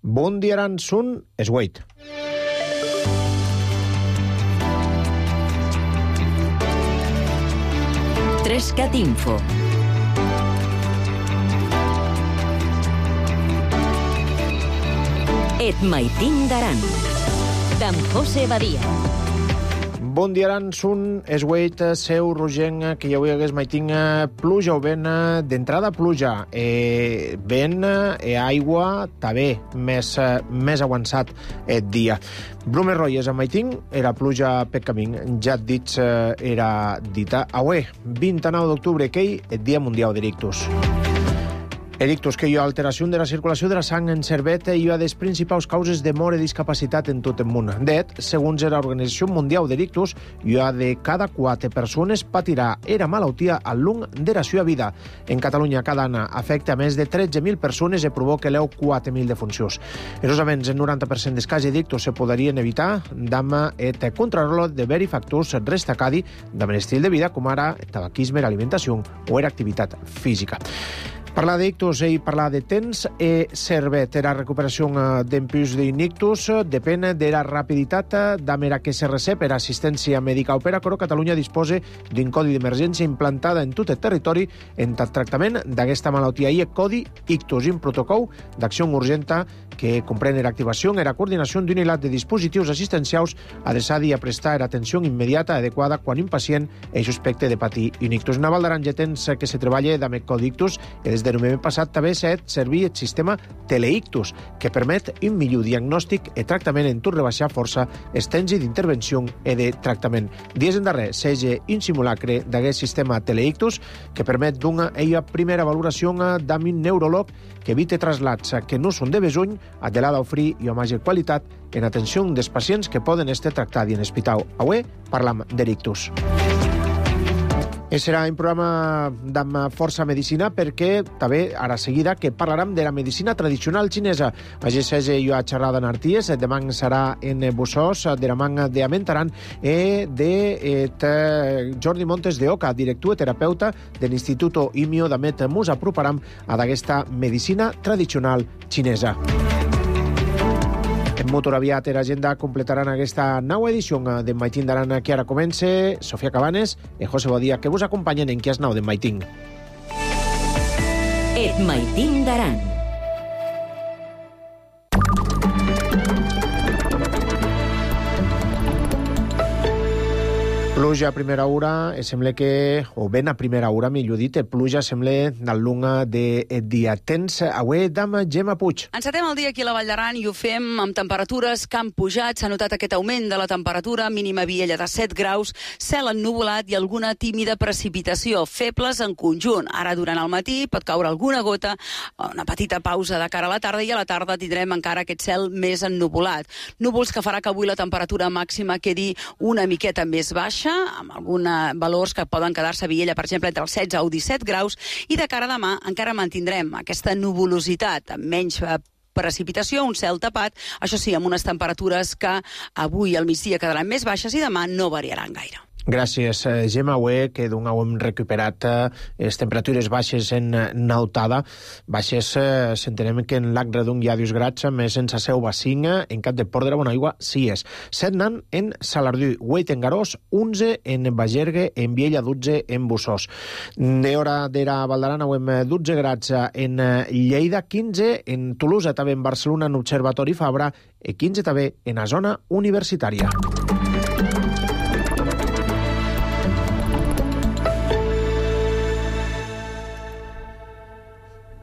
Bon dia, Aran, sun Esgueit. Trescat Info. Et maitin d'Aran. D'en José Badia. Bon dia, Aran, sun Esgueit, seu rogenc, que ja avui hagués maitin pluja o vent, d'entrada pluja, vent, aigua, també, més avançat el dia. Brumes roies a maitin, era pluja per camí, ja et dits, era dita. Avui, 29 d'octubre, que el Dia Mundial d'Erictus. Erictus, que hi ha alteració de la circulació de la sang en cervet i hi ha les principals causes de mort i discapacitat en tot el món. Det, segons l'Organització Mundial d'Erictus, hi ha de cada 4 persones patirà era malaltia al long de la seva vida. En Catalunya, cada any afecta a més de 13.000 persones i provoca 4.000 defuncions. Erosament, el 90% dels casos d'Erictus se podrien evitar amb el control de vari factors destacats amb l'estil de vida, com ara el tabaquisme, l'alimentació o l'activitat física. Parlar d'ictus i parlar de temps servet. La recuperació d'empús d'ictus depèn de la rapiditat amb la que se recep per assistència mèdica. Per això Catalunya disposa d'un codi d'emergència implantada en tot el territori en el tractament d'aquesta malaltia. I el codi ictus, un protocol d'acció urgenta que comprèn l'activació i la coordinació d'un hilat de dispositius assistencials adreçats a prestar atenció immediata adequada quan un pacient és suspecte de patir un ictus. Naval d'Aran ja temps que se treballa amb el codi ictus i des de novembre passat també s'ha servit el sistema Teleictus, que permet un millor diagnòstic i tractament en tot rebaixar força els temps d'intervenció i de tractament. Dies en darrer s'ha un simulacre d'aquest sistema Teleictus que permet d'una primera valoració d'un neuròleg que evita traslats que no són de besony, adelada d'oferir i amb major qualitat en atenció dels pacients que poden estar tractats en hospital. Avui parlam d'Erictus. Serà un programa amb força medicina perquè també ara seguida que parlarem de la medicina tradicional xinesa. Així jo a xerrada en Arties, demà serà en Bussós, de la manga de Amentaran i de Jordi Montes de Oca, director i terapeuta de l'Instituto IMIO d'Amet. Mos aproparam a d'aquesta medicina tradicional xinesa. Molt aviat l'agenda completaran aquesta nova edició de Maitin d'Aran que ara comença. Sofia Cabanes i José Badia que vos acompanyen en Qui es nau de Maitin. Et Maitin d'Aran. Pluja a primera hora, sembla que, o ben a primera hora, millor dit, pluja sembla del lunga de dia. Tens avui d'am Gemma Puig. Encetem el dia aquí a la Vall d'Aran i ho fem amb temperatures que han pujat. S'ha notat aquest augment de la temperatura, mínima a Viella de 7 graus, cel ennuvolat i alguna tímida precipitació, febles en conjunt. Ara, durant el matí, pot caure alguna gota, una petita pausa de cara a la tarda i a la tarda tindrem encara aquest cel més ennuvolat. Núvols que farà que avui la temperatura màxima quedi una miqueta més baixa, amb alguns valors que poden quedar-se a Viella, per exemple, entre els 16 o 17 graus, i de cara a demà encara mantindrem aquesta nuvolositat, amb menys precipitació, un cel tapat, això sí, amb unes temperatures que avui al migdia quedaran més baixes i demà no variaran gaire. Gràcies, Gemma. Avui que hem recuperat les temperatures baixes en Nautada. Baixes, s'entenem que en Lac Redung hi ha 2 graus, més en Saseu Bacinga, en Cap de Port de la Bonaigua, 6. 7 nan en Salardú, 8 en Garós, 11 en Bagergue, en Viella, 12 en Bussós. De hora de la Val d'Aran, hem 12 graus en Lleida, 15 en Tolosa, també en Barcelona, en Observatori Fabra, i 15 també en la zona universitària.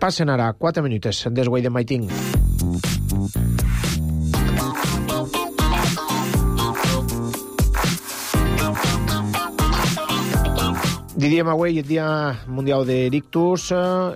Passen ara 4 minuts des guai de Maitin. Diríem avui el Dia Mundial d'Erictus.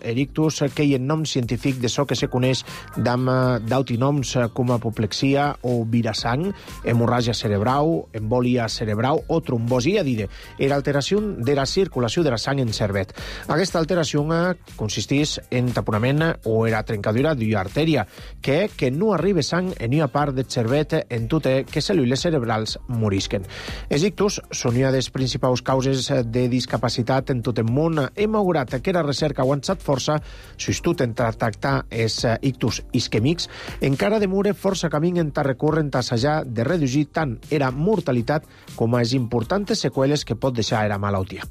Erictus, que hi ha nom científic de so que se coneix d'autinoms com apoplexia o virasang, hemorràgia cerebral, embòlia cerebral o trombosi, a dir, era alteració de la circulació de la sang en cervet. Aquesta alteració consisteix en taponament o era trencadura d'una artèria, que no arriba sang en una part del cervet en tot que cèl·lules cerebrals morisquen. Els ictus són una de les principals causes de discapacitat discapacitat en tot el món. Hem augurat que la recerca ha avançat força, s'estut en tractar els ictus isquèmics, encara demora força camí en recórrer a assajar de reduir tant era mortalitat com les importants seqüeles que pot deixar la malaltia.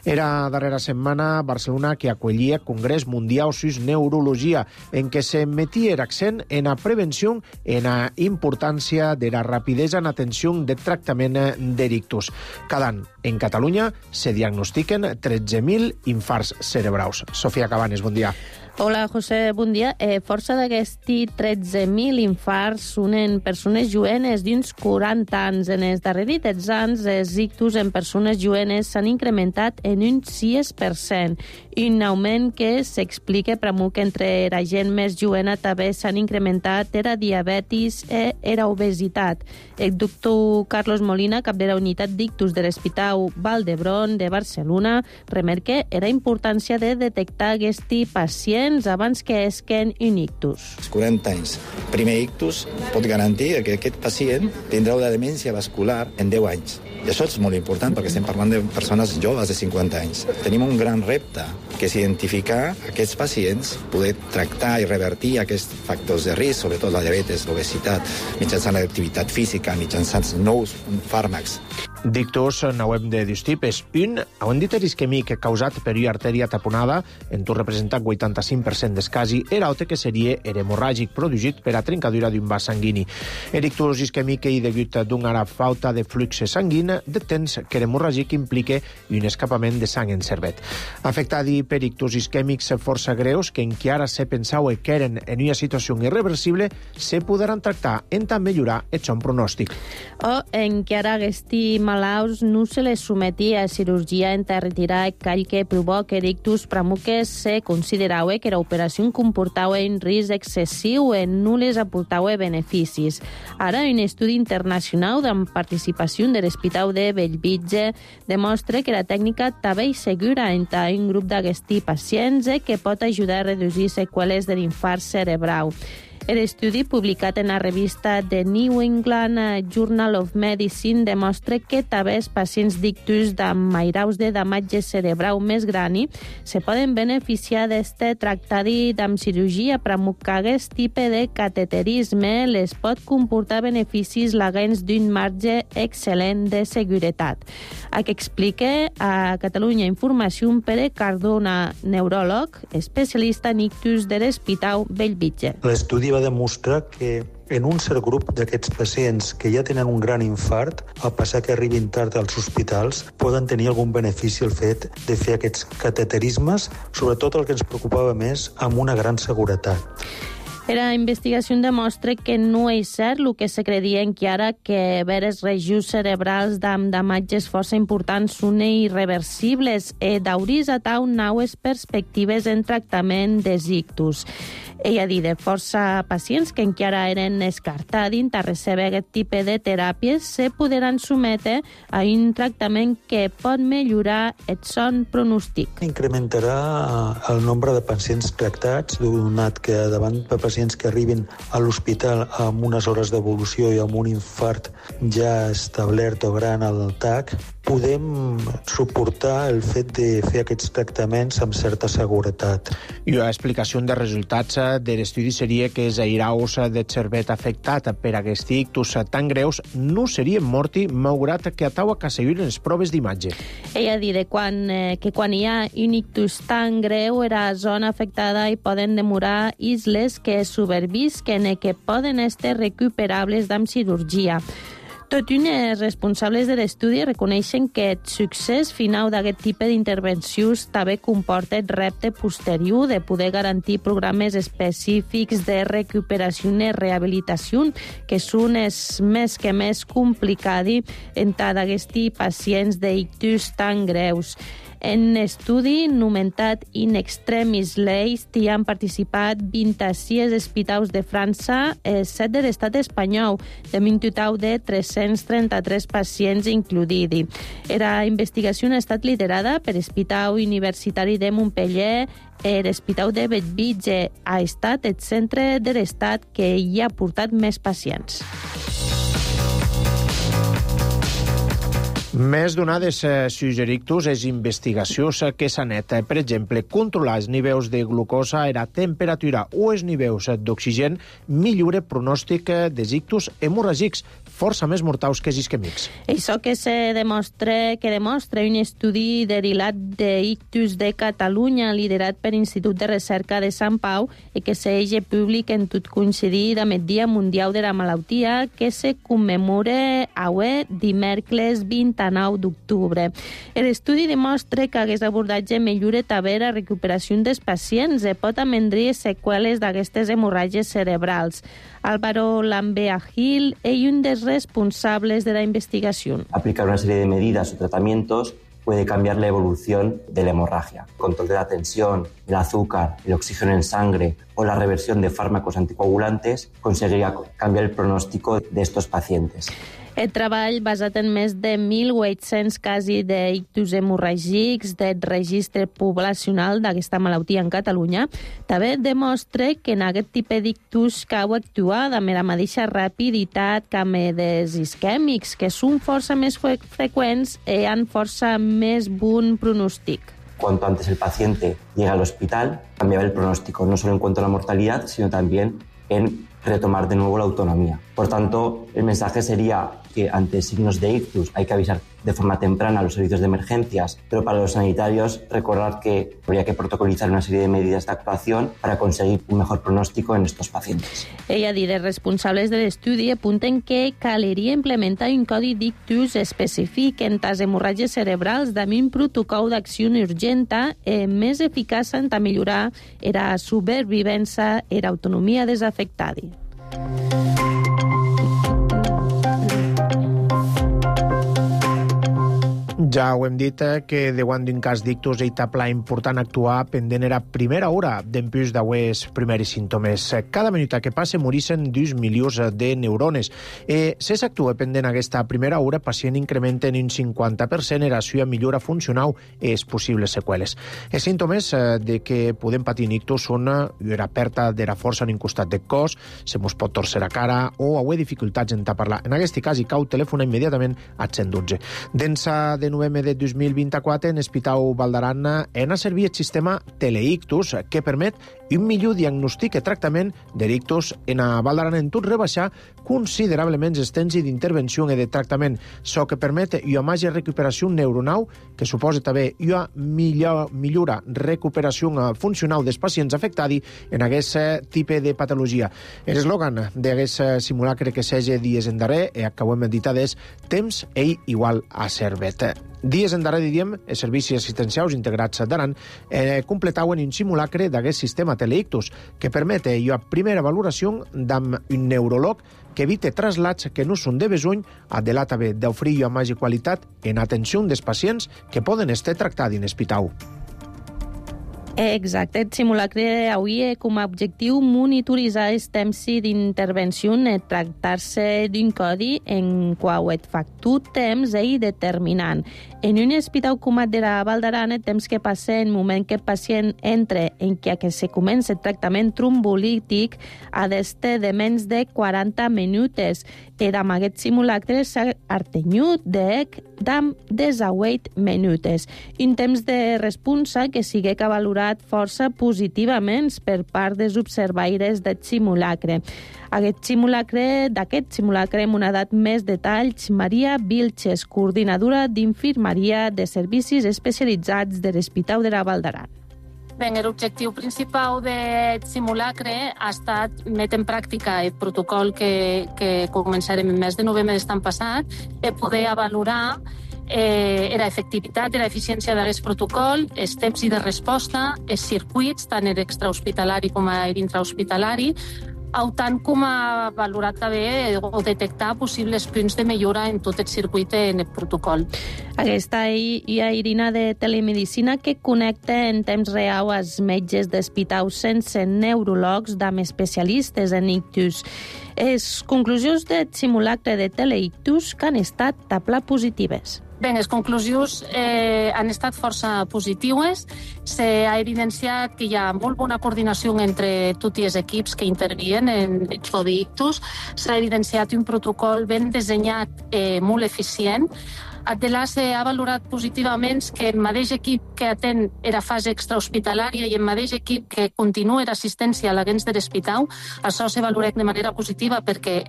Era darrera setmana Barcelona que acollia Congrés Mundial sus Neurologia, en què s'emetia accent en la prevenció i en la importància de la rapidesa en atenció de tractament d'ictus. Cada any, en Catalunya, se diagnostiquen 13.000 infarts cerebrals. Sofia Cabanes, bon dia. Hola, José, bon dia. Força d'aquests 13.000 infarts són en persones jovenes d'uns 40 anys. En els darrers anys, els ictus en persones jovenes s'han incrementat en un 6%, un augment que s'explica que entre la gent més jovena també s'han incrementat la diabetis i la obesitat. El doctor Carlos Molina, cap de la unitat d'ictus de l'Hospital Vall d'Hebron de Barcelona, remarca la importància de detectar aquests pacients abans que esquen un ictus. Als 40 anys, primer ictus pot garantir que aquest pacient tindrà una demència vascular en 10 anys. I això és molt important perquè estem parlant de persones joves de 50 anys. Tenim un gran repte, que és identificar aquests pacients, poder tractar i revertir aquests factors de risc, sobretot la diabetes, l'obesitat, mitjançant l'activitat física, mitjançant nous fàrmacs. D'ictus n'hem de dos tipus. Un, hem dit isquèmic causat per una artèria taponada, en tot representant 85% dels casos, i l'altre que seria hemorràgic, produït per a trencadura d'un vas sanguini. L'ictus isquèmic és degut d'una falta de flux sanguini de temps que l'hemorràgic implica un escapament de sang en cervet. Afectats per ictus isquèmics força greus, que encara se pensava que eren en una situació irreversible, se podran tractar en tant millorar el son pronòstic. O encara aquests malalts no se les sometia a cirurgia en retirar el call que provoca l'ictus, però que se considerava que l'operació comportava un risc excessiu i no les aportava beneficis. Ara, un estudi internacional amb participació de l'Hospital de Bellvitge demostra que la tècnica també és segura entre un grup d'aquests pacients que pot ajudar a reduir seqüeles de l'infart cerebral. L'estudi publicat en la revista The New England Journal of Medicine demostra que també els pacients d'ictus amb mairaus de damatge cerebral més grani se poden beneficiar d'aquest tractament amb cirurgia, però que aquest tipus de cateterisme les pot comportar beneficis legals d'un marge excel·lent de seguretat. Que explica a Catalunya Informació Pere Cardona, neuròleg, especialista en ictus de l'Hospital Bellvitge. L'estudi va demostrar que en un cert grup d'aquests pacients que ja tenen un gran infart, al passar que arribin tard als hospitals, poden tenir algun benefici el fet de fer aquests cateterismes, sobretot el que ens preocupava més, amb una gran seguretat. La investigació demostra que no és cert el que se creia encara, que veres regions cerebrals amb damatges força importants són irreversibles i d'hauris a tau noves perspectives en tractament dels ictus. Ella ha dit de força pacients que encara eren descartats a rebre aquest tipus de teràpies se podran sometre a un tractament que pot millorar el son pronòstic. Incrementarà el nombre de pacients tractats, donat que davant de pacients que arribin a l'hospital amb unes hores d'evolució i amb un infart ja establert o gran al TAC, podem suportar el fet de fer aquests tractaments amb certa seguretat. I l'explicació de resultats de l'estudi seria que els airaus de cervet afectat per aquests ictus tan greus no serien morti, malgrat que ataua que seguiren les proves d'imatge. Ella dit que quan hi ha un ictus tan greu, la zona afectada hi poden demorar isles que supervisquen i que poden estar recuperables amb cirurgia. Tot i els responsables de l'estudi reconeixen que el succés final d'aquest tipus d'intervencions també comporta el repte posterior de poder garantir programes específics de recuperació i rehabilitació, que són els més complicats entre aquests pacients d'ictus tan greus. En estudi nomenat In Extremis List hi han participat 26 hospitals de França, 7 de l'estat espanyol, de un total de 333 pacients incloïts. La investigació ha estat liderada per l'Hospital Universitari de Montpellier. L'Hospital de Bellvitge ha estat el centre de l'estat que hi ha portat més pacients. Més donades suggerictus és investigacions que s'anet, per exemple, controlar els nivells de glucosa, la temperatura o els nivells d'oxigen millora pronòstic dels ictus hemorràgics, força més mortals que els isquèmics. Això que demostra un estudi derivat d'ictus de Catalunya, liderat per l'Institut de Recerca de Sant Pau, i que s'eix públic en tot coincidir amb el Dia Mundial de la Malaltia, que se commemora avui dimecres 29 d'octubre. L'estudi demostra que aquest abordatge millora també la recuperació dels pacients i pot amendrir seqüeles d'aquestes hemorràgies cerebrals. Álvaro Lambea Gil és un dels responsables de la investigación. Aplicar una serie de medidas o tratamientos puede cambiar la evolución de la hemorragia. Control de la tensión, el azúcar, el oxígeno en sangre o la reversión de fármacos anticoagulantes conseguiría cambiar el pronóstico de estos pacientes. El treball, basat en més de 1.800 casos d'ictus hemorràgics del registre poblacional d'aquesta malaltia en Catalunya, també demostra que en aquest tipus d'ictus cal actuar amb la mateixa rapiditat que amb els isquèmics, que són força més freqüents i han força més bon pronòstic. Cuanto antes el paciente llega al hospital, cambiaba el pronóstico, no solo en cuanto a la mortalidad, sino también en retomar de nuevo la autonomía. Por tanto, el mensaje sería que ante signos de ictus hay que avisar de forma temprana a los servicios de emergencias, pero para los sanitarios recordar que habría que protocolizar una serie de medidas de actuación para conseguir un mejor pronóstico en estos pacientes. Ella dit, els responsables de l'estudi apunten que caldria implementar un codi d'ictus específic en les hemorràgies cerebrals amb un protocol d'acció urgenta més eficaç en millorar la supervivència i l'autonomia dels afectats. Ja ho hem dit, que davant d'un cas d'ictus és pla important actuar pendent era primera hora d'empús d'aues primeris símptomes. Cada minut que passe morixen 2 milions de neurones. Si s'actua pendent aquesta primera hora, pacient incrementa en un 50% la seva millora funcional i les possibles seqüeles. Els símptomes de que podem patir ictus són la pèrdua de la força en un costat del cos, se mos pot torcer la cara o haver dificultats en parlar. En aquest cas, hi cal telefonar immediatament al 112. D'ençà de novembre de 2024, en l'Hospital Vall d'Aran ha servit el sistema Teleictus, que permet un millor diagnòstic i tractament d'ictus en a Vall d'Aran en tot rebaixar considerablement els temps d'intervenció i de tractament, so que permet una major recuperació neuronal, que suposa també una millora recuperació funcional dels pacients afectats en aquest tipus de patologia. L'eslògan d'aquest simulacre que s'hagi dies en darrer, i acabem editat, és temps igual a servet. Dies en darrer, diríem, els servicis assistencials integrats d'Aran completaven un simulacre d'aquest sistema Teleictus, que permet una primera valoració d'amb un neuròleg que evite traslats que no són de besoll, adelat també d'oferir una major qualitat en atenció dels pacients que poden estar tractats en l'hospital. Exacte. El simulacre avui com a objectiu monitoritzar els temps d'intervenció i tractar-se d'un codi en qual el factor temps és determinant. En un hospital com el de la Vall d'Aran, el temps que passa en el moment que el pacient entra en què se comença el tractament trombolític ha d'estar de menys de 40 minuts. I amb aquest simulacre s'ha artenyut de 18 minuts. Un temps de responsa que sigui que valorat força positivament per part dels observaires del simulacre. D'aquest simulacre hem donat més detalls Maria Vilches, coordinadora d'infermeria de servicis especialitzats de l'Hospital de la Vall d'Aran. L'objectiu principal del simulacre ha estat metre en pràctica el protocol que començarem el mes de novembre d'estan passat, per poder valorar l'efectivitat i l'eficiència d'aquest protocol, els temps de resposta, els circuits, tant l'extrahospitalari com l'intrahospitalari, tant com a valorar també o detectar possibles punts de millora en tot el circuit en el protocol. Aquesta hi ha Irina de Telemedicina que connecta en temps real els metges d'hospitals sense neuròlegs amb especialistes en ictus. Les conclusions del simulacre de Teleictus que han estat positives. Bé, les conclusions han estat força positives. S'ha evidenciat que hi ha molt bona coordinació entre tots els equips que intervien en el d'ictus. S'ha evidenciat un protocol ben dissenyat, molt eficient. Adelà s'ha valorat positivament que el mateix equip que atén era fase extrahospitalària i el mateix equip que continua l'assistència a l'agents de l'hospital, això se valora de manera positiva perquè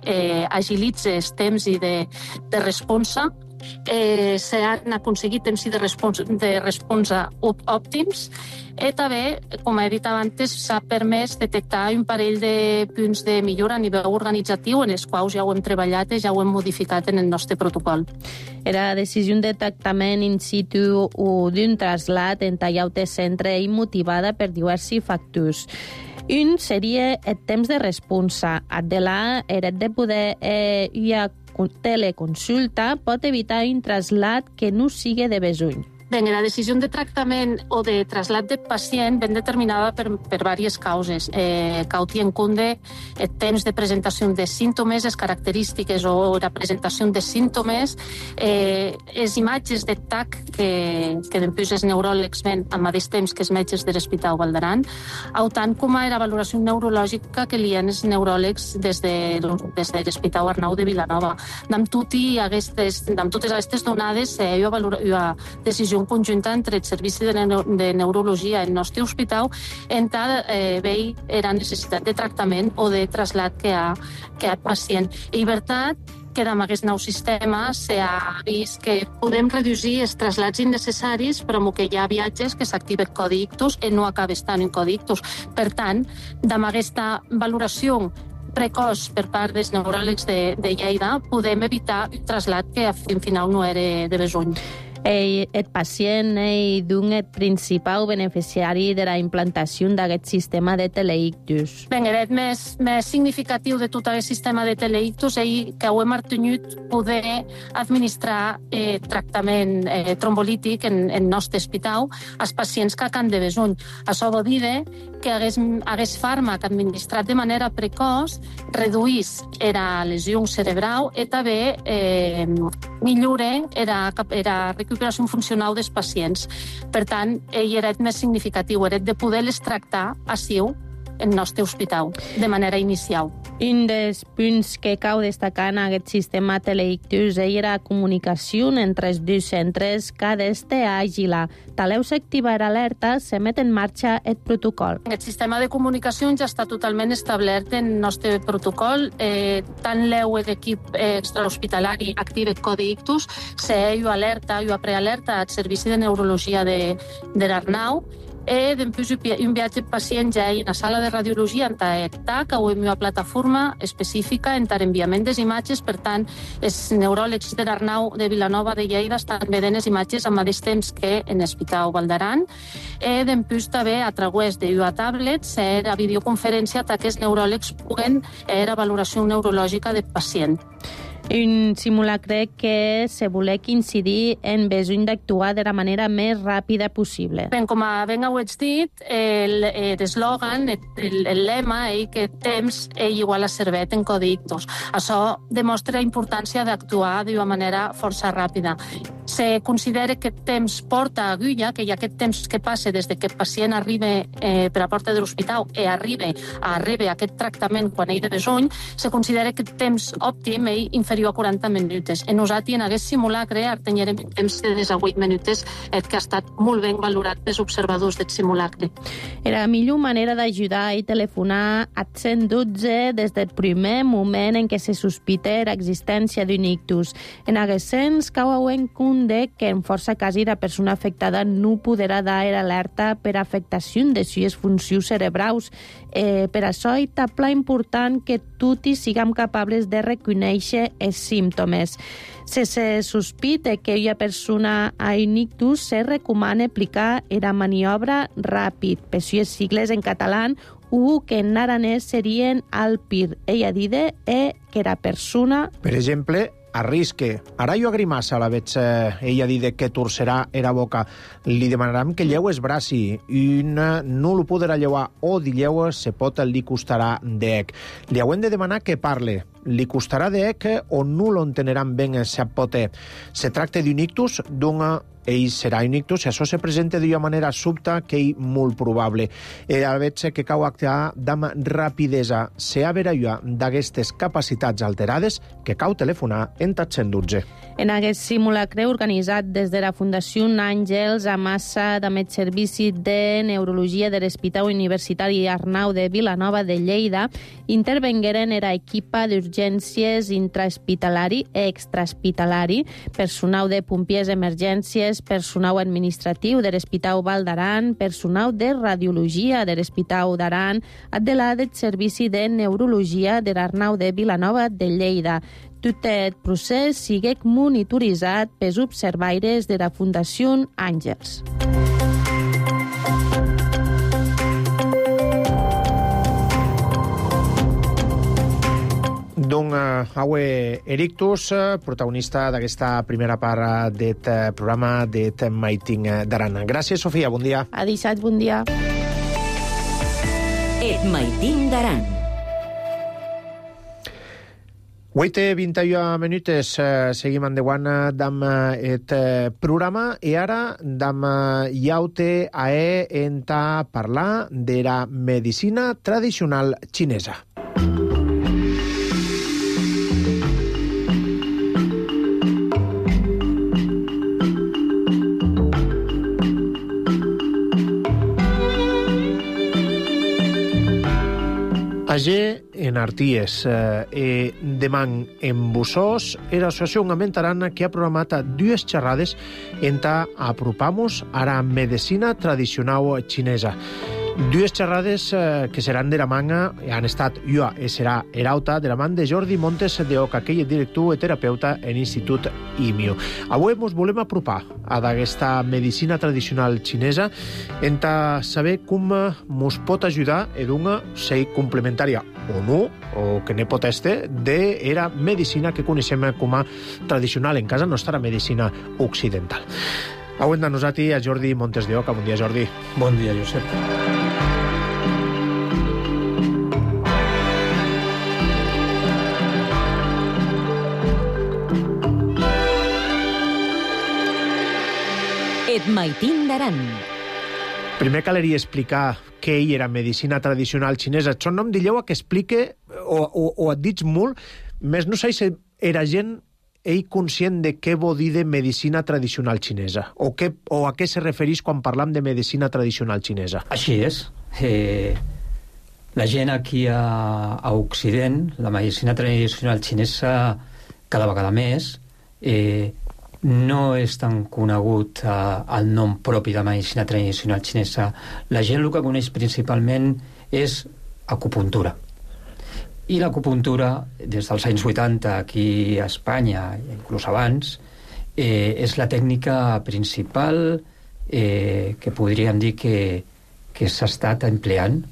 agilitza els temps i de responsa. S'han aconseguit temps de responsa òptims i també, com he dit abans, s'ha permès detectar un parell de punts de millora a nivell organitzatiu en els quals ja ho hem treballat i ja ho hem modificat en el nostre protocol. Era decisió de tractament in situ o d'un trasllat en tallaute centre i motivada per diversos factors. Un seria el temps de responsa. Adelà, era de poder teleconsulta pot evitar un trasllat que no sigui de besuny. Bé, la decisió de tractament o de trasllat de pacient ben determinada per diverses causes. Cauti en compte el temps de presentació de símptomes, les característiques o la presentació de símptomes, les imatges de TAC que després els neuròlegs ven al mateix temps que els metges de l'Hospital Vall d'Aran, tant com la valoració neurològica que li han els neuròlegs des de l'Hospital Arnau de Vilanova. Amb totes aquestes donades, hi ha una decisió conjunta entre el Servici de Neurologia i el nostre hospital en tal veure la necessitat de tractament o de trasllat que ha el pacient. I veritat que amb aquest nou sistema s'ha vist que podem reduir els traslats innecessaris, però que hi ha viatges que s'activa el codi ictus i no acaba estant en codi ictus. Per tant, amb aquesta valoració precoç per part dels neuròlegs de Lleida, podem evitar un trasllat que al final no era de besuny. El pacient d'un principal beneficiari de la implantació d'aquest sistema de teleictus. Bé, el més significatiu de tot aquest sistema de teleictus és que ho hem obtingut poder administrar tractament trombolític en el nostre hospital als pacients que han de besuny. Això vol dir que hagués fàrmac administrat de manera precoç reduís la lesió cerebral i també millora la recuperació funcional dels pacients. Per tant, era el més significatiu, era de poder-les tractar així en el nostre hospital, de manera inicial. Un dels punts que cal destacar en aquest sistema teleictus era la comunicació entre els dos centres, cada este àgil. Taleu s'activar alerta, se met en marxa el protocol. El sistema de comunicació ja està totalment establert en el nostre protocol. Tant l'EU d'equip extrahospitalari activa el codi ictus, s'ha alerta, prealerta al Servici de Neurologia de l'Arnau, després un viatge pacient ja en la sala de radiologia en TAC o en una plataforma específica en enviament de imatges. Per tant, els neuròlegs de l'Arnau de Vilanova de Lleida estan veient les imatges al mateix temps que en l'Hospital Vall d'Aran. Després també a través d'una tablet, la videoconferència que els neuròlegs puguen la valoració neurològica del pacient. Un simulacre que se volé incidir en besoin d'actuar de la manera més ràpida possible. Ben, com ben ho ets dit, l'eslògan, el lema, que temps igual a servet en codi ictus. Això demostra la importància d'actuar d'una manera força ràpida. Se considera que temps porta agulla, que hi ha aquest temps que passa des que el pacient arriba per la porta de l'hospital i arriba a aquest tractament quan ell de besoin, se considera que el temps òptim és inferior a 40 minuts. En nosaltres, en aquest simulacre, teníem un temps de 18 minuts que ha estat molt ben valorat pels observadors del simulacre. Era la millor manera d'ajudar i telefonar a 112 des del primer moment en què se sospita l'existència d'un ictus. En aquest sens, cau en compte que en força casos la persona afectada no podrà dar alerta per afectació de les funcions cerebrals. Per això és pla important que tots siguem capables de reconèixer els símptomes. Si se sospita que una persona ha un ictus, se recomana aplicar la maniobra ràpid, per les sigles en català, o que en aranès serien ALPIR. Ella dida que la persona... Per exemple, arrisque. Ara jo agrimassa la veig ella dir que torcerà era boca. Li demanaram que lleu es braci i no lo podrà llevar o di lleu se pot el dir costarà dec. Li hauen de demanar que parle. li costarà d'ec o non lo enteneran ben sa pote. Se tracta d'un ictus, ell serà un ictus, i això se presenta d'una manera subta que és molt probable. A veure que cau actuar amb rapidesa. Se ha verà d'aquestes capacitats alterades que cau telefonar en 112. En aquest simulacre organitzat des de la Fundació Àngels a massa amb el Servici de Neurologia de l'Hospital Universitari Arnau de Vilanova de Lleida, intervengueren era equipa d'urgències intrahospitalari i extrahospitalari, personal de pompiers emergències, personal administratiu de l'Hospital Val d'Aran, personal de radiologia de l'Hospital d'Aran, de la del Servici de Neurologia de l'Arnau de Vilanova de Lleida. Tot el procés siguec monitoritzat pels observaires de la Fundació Àngels. Aue Erictus, protagonista d'aquesta primera part d'aquest programa d'et Maiting d'Aran. Gràcies, Sofia, bon dia. Adisat, bon dia. Et Maiting d'Aran. 8:21 minuts, seguim endavant amb aquest programa i ara amb iaute a parlar de la medicina tradicional xinesa. Agé en Arties e demà en Bussós era l'associació Amentaran que ha programat dues xerrades en apropamos a la medicina tradicional xinesa. Dues xerrades que seran de la manga, han estat jo i serà Erauta, de la man de Jordi Montes de Oca, que és director i terapeuta en l'Institut IMIO. Avui ens volem apropar a d'aquesta medicina tradicional xinesa en saber com ens pot ajudar en una sei complementària o no, o que ne pot estar, de la medicina que coneixem com a tradicional en casa nostra medicina occidental. Avui amb nosaltres a Jordi Montes de Oca. Bon dia, Jordi. Bon dia, Josep. Et Maiting d'Aran. Primer caleria explicar què era medicina tradicional xinesa. Això no em dilleu que explique, o et dic molt, més no sé si era gent conscient de què vol dir de medicina tradicional xinesa, o a què se refereix quan parlam de medicina tradicional xinesa. Així és. La gent aquí a Occident, la medicina tradicional xinesa cada vegada més, no és tan conegut el nom propi de medicina tradicional xinesa. La gent el que coneix principalment és acupuntura. I l'acupuntura, des dels anys 80 aquí a Espanya, inclús abans, és la tècnica principal que podríem dir que s'ha estat empleant,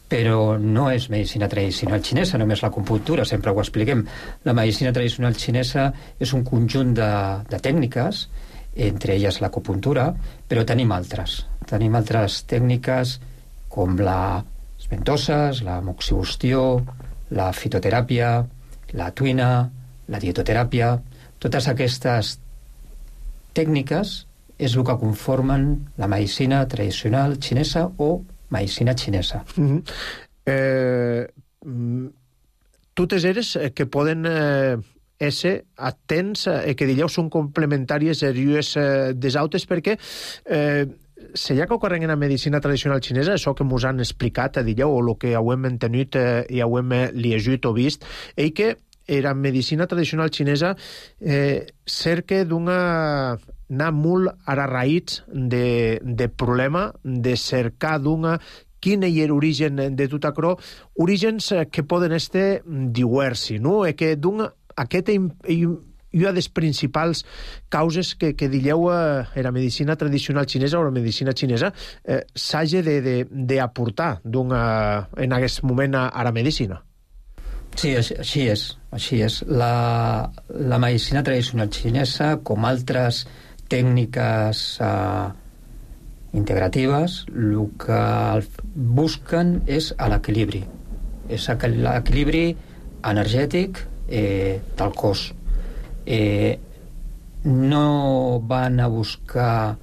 però no és medicina tradicional xinesa, només l'acupuntura, sempre ho expliquem. La medicina tradicional xinesa és un conjunt de tècniques, entre elles l'acupuntura, però tenim altres. Tenim altres tècniques com les ventoses, la moxibustió, la fitoteràpia, la tuina, la dietoteràpia. Totes aquestes tècniques és el que conformen la medicina tradicional xinesa o medicina xinesa. Totes eres que poden ésser atents que dilleu són complementàries des altres perquè se ja que ocorren en la medicina tradicional xinesa, això que mos han explicat, dilleu, o el que hem entenut i hem llegit o vist, és que la medicina tradicional xinesa cerca anar molt a la raïs de problema, de cercar quin és l'origen de tot això, orígens que poden estar diversos, no? Que aquest una de les principals causes que dilleu la medicina tradicional xinesa o la medicina xinesa s'hagi d'aportar en aquest moment a la medicina. Sí, així és. La medicina tradicional xinesa, com altres tècniques integratives, el que busquen és l'equilibri. És l'equilibri energètic del cos. No van a buscar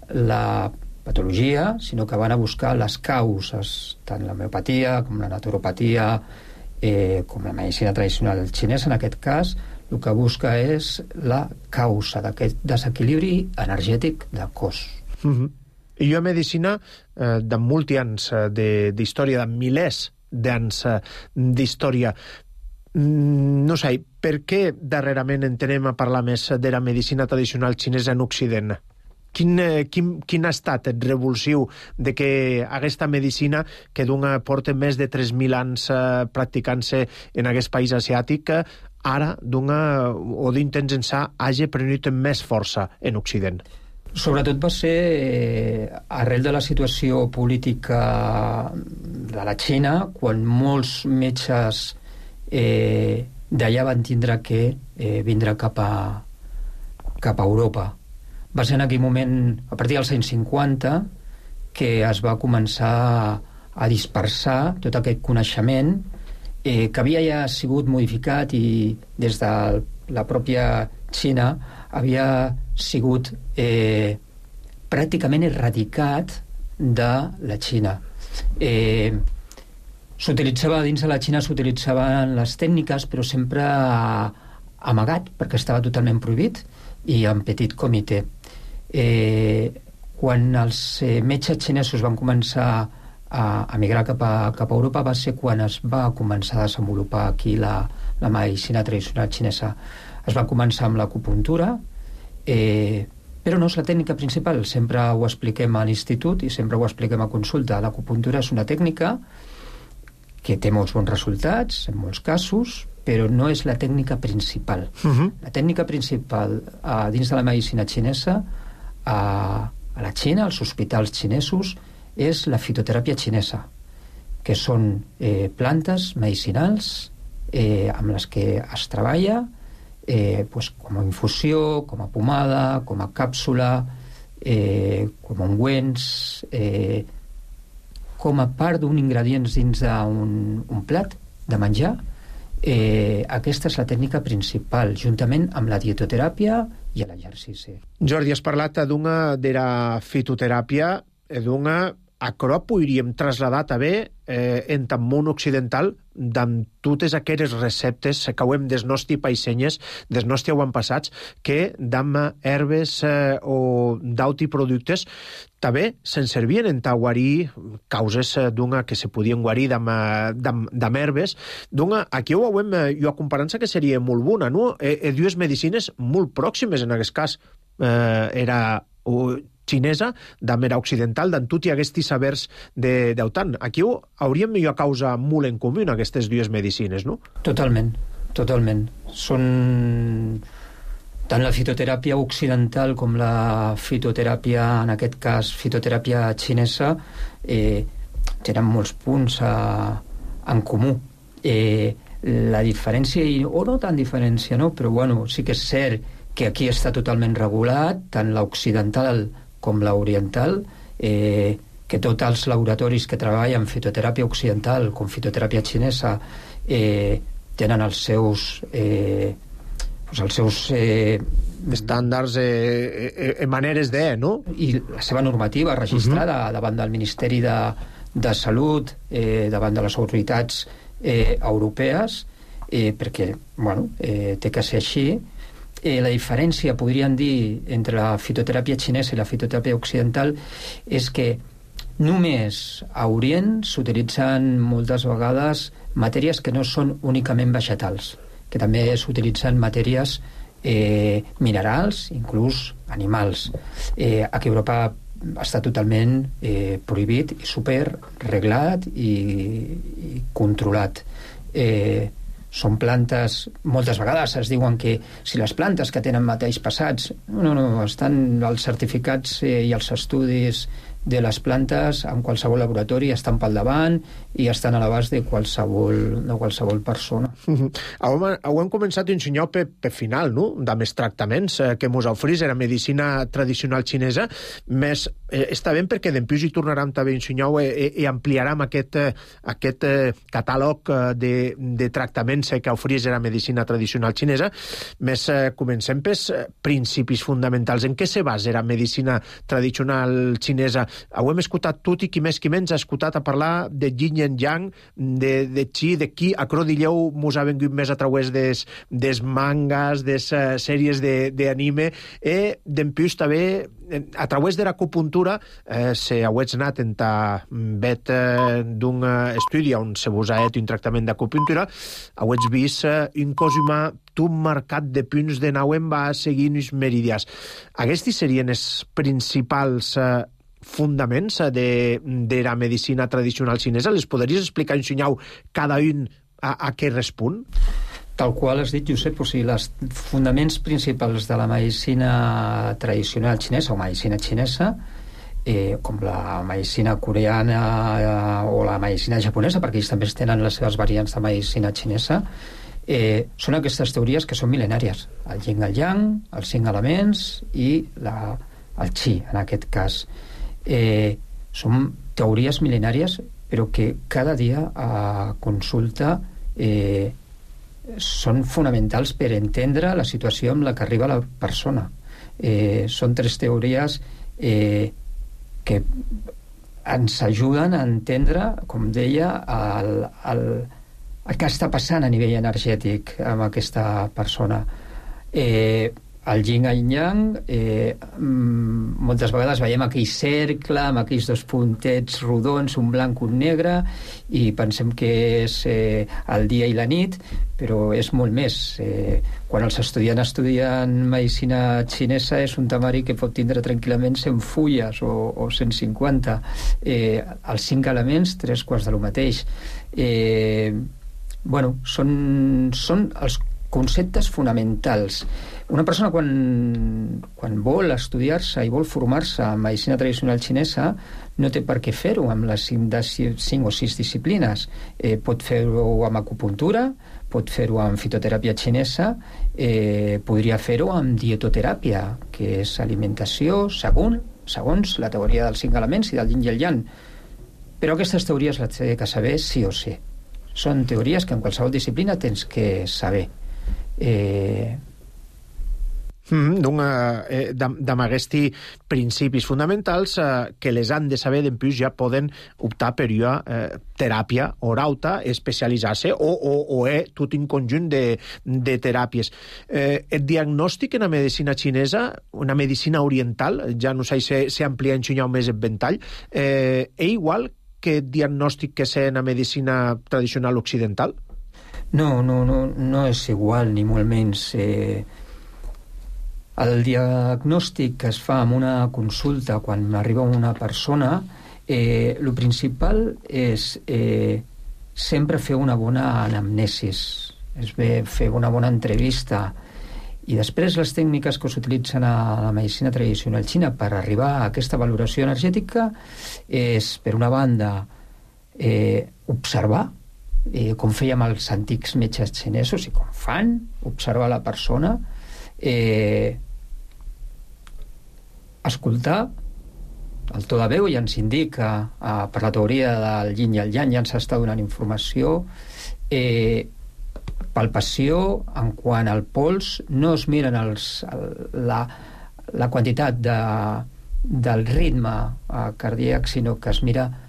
la patologia, sinó que van a buscar les causes, tant la homeopatia com la naturopatia, com la medicina tradicional xinesa, en aquest cas, el que busca és la causa d'aquest desequilibri energètic del cos. I jo medicina de molts anys d'història, de milers d'anys d'història. No sé, per què darrerament entenem a parlar més de la medicina tradicional xinesa en Occident? Quin ha estat el revulsiu de que aquesta medicina, que porta més de 3.000 anys practicant-se en aquest país asiàtic, ara, o d'intents ençà, hagi prenut més força en Occident? Sobretot va ser arrel de la situació política de la Xina, quan molts metges d'allà van tindre que vindre cap a Europa. Va ser en aquell moment, a partir dels anys 50, que es va començar a dispersar tot aquest coneixement que havia ja sigut modificat i des de la pròpia Xina havia sigut pràcticament erradicat de la Xina. Dins de la Xina s'utilitzaven les tècniques, però sempre amagat, perquè estava totalment prohibit, i en petit comitè. Quan els metges xinesos van començar a migrar cap a Europa va ser quan es va començar a desenvolupar aquí la medicina tradicional xinesa. Es va començar amb l'acupuntura, però no és la tècnica principal. Sempre ho expliquem a l'institut i sempre ho expliquem a consulta. L'acupuntura és una tècnica que té molts bons resultats, en molts casos, però no és la tècnica principal. La tècnica principal dins de la medicina xinesa, a la Xina, als hospitals xinesos, és la fitoteràpia xinesa, que són plantes medicinals amb les que es treballa com a infusió, com a pomada, com a càpsula, com a ungüents, com a part d'un ingredient dins d'un plat de menjar. Aquesta és la tècnica principal, juntament amb la dietoteràpia i l'exercici. Jordi, has parlat de la fitoteràpia, aquerò podríem traslladar també en el món occidental d'amb totes aquelles receptes que hem des nostres païsenyes, des nostres avantpassats, que d'amb herbes o d'auti productes també se'n servien en guarir causes que se podien guarir d'amb herbes. Aquí ho veiem, jo comparança que seria molt bona, no? Dues medicines molt pròximes en aquest cas. Era xinesa, d'amb era occidental, d'en tot hi haguestis sabers d'autant. Aquí hauríem millor causa molt en comú aquestes dues medicines, no? Totalment. Són tant la fitoteràpia occidental com la fitoteràpia, en aquest cas fitoteràpia xinesa, tenen molts punts en comú. La diferència, o no tan diferència, no? Però bueno, sí que és cert que aquí està totalment regulat, tant l'occidental com l'oriental, que tots els laboratoris que treballen fitoteràpia occidental com fitoteràpia xinesa tenen els seus estàndards, maneres de, no? I la seva normativa registrada davant del Ministeri de Salut, davant de les autoritats europees, perquè, bueno, té que ser així. La diferència, podríem dir, entre la fitoteràpia xinesa i la fitoteràpia occidental és que només a Orient s'utilitzen moltes vegades matèries que no són únicament vegetals, que també s'utilitzen matèries minerals, inclús animals. Aquí a Europa està totalment prohibit i superreglat i controlat. Són plantes, moltes vegades es diuen que si les plantes que tenen metalls pesats, no, estan els certificats i els estudis de les plantes en qualsevol laboratori estan pel davant i estan a l'abast de qualsevol persona. Ho hem començat a ensenyar per final, no?, d'amés tractaments que mos ofrís la medicina tradicional xinesa, més està bé perquè dempuix hi tornarem també a ensenyar i ampliarem aquest catàleg de tractaments que ofrís la medicina tradicional xinesa, més comencem pels principis fonamentals. En què se basa la medicina tradicional xinesa? Ho hem escoltat tot i qui més qui menys ha escoltat a parlar de yin i yang, de chi, de qui acrodilleu mos ha vengut més a través des mangas, des sèries d'anime, i dempuix també a través de l'acupuntura se hauets anat en vet d'un estudi on se vos ha fet un tractament d'acupuntura, hauets vist un cos humà tot marcat de punts de nau en va seguint els meridians. Aquests serien els principals fundaments de la medicina tradicional xinesa. Les podries explicar, ensenyar cada un a què respon? Tal qual has dit, Josep, o sigui, els fundaments principals de la medicina tradicional xinesa o medicina xinesa, com la medicina coreana o la medicina japonesa, perquè ells també tenen les seves variants de medicina xinesa, són aquestes teories que són mil·lenàries. El yin, el yang, els 5 elements i el chi, en aquest cas. Són teories mil·lenàries, però que cada dia a consulta són fonamentals per entendre la situació amb la que arriba la persona. Són 3 teories que ens ajuden a entendre, com deia, el que està passant a nivell energètic amb aquesta persona. El yin i el yang, moltes vegades veiem aquell cercle amb aquells 2 puntets rodons, un blanc, un negre, i pensem que és el dia i la nit, però és molt més. Quan els estudiants estudien medicina xinesa és un temari que pot tindre tranquil·lament 100 fulles o 150. Els 5 elements, 3/4 de lo mateix. Són els conceptes fonamentals. Una persona quan vol estudiar-se i vol formar-se en medicina tradicional xinesa no té per què fer-ho amb les 5 o 6 disciplines. Pot fer-ho amb acupuntura, pot fer-ho amb fitoteràpia xinesa, podria fer-ho amb dietoteràpia, que és alimentació segons la teoria dels 5 elements i del yin i el yang. Però aquestes teories les té que saber sí o sí. Són teories que en qualsevol disciplina tens que saber. Amb aquests principis fonamentals que les han de saber, dempuix ja poden optar per una teràpia orauta, especialitzar-se o tot un conjunt de teràpies. El diagnòstic en la medicina xinesa, una medicina oriental, ja no sé si amplia ensenyar més el ventall, és igual que el diagnòstic que sé en la medicina tradicional occidental? No és igual, ni molt menys. El diagnòstic que es fa en una consulta quan arriba una persona, el principal és sempre fer una bona anamnesis, és bé fer una bona entrevista, i després les tècniques que s'utilitzen a la medicina tradicional xina per arribar a aquesta valoració energètica és, per una banda, observar, com fèiem els antics metges xinesos i com fan, observar la persona, escoltar el to de veu, ja ens indica per la teoria del yin i el yang, ja ens està donant informació, palpació, en quant al pols, no es miren la quantitat del ritme cardíac, sinó que es mira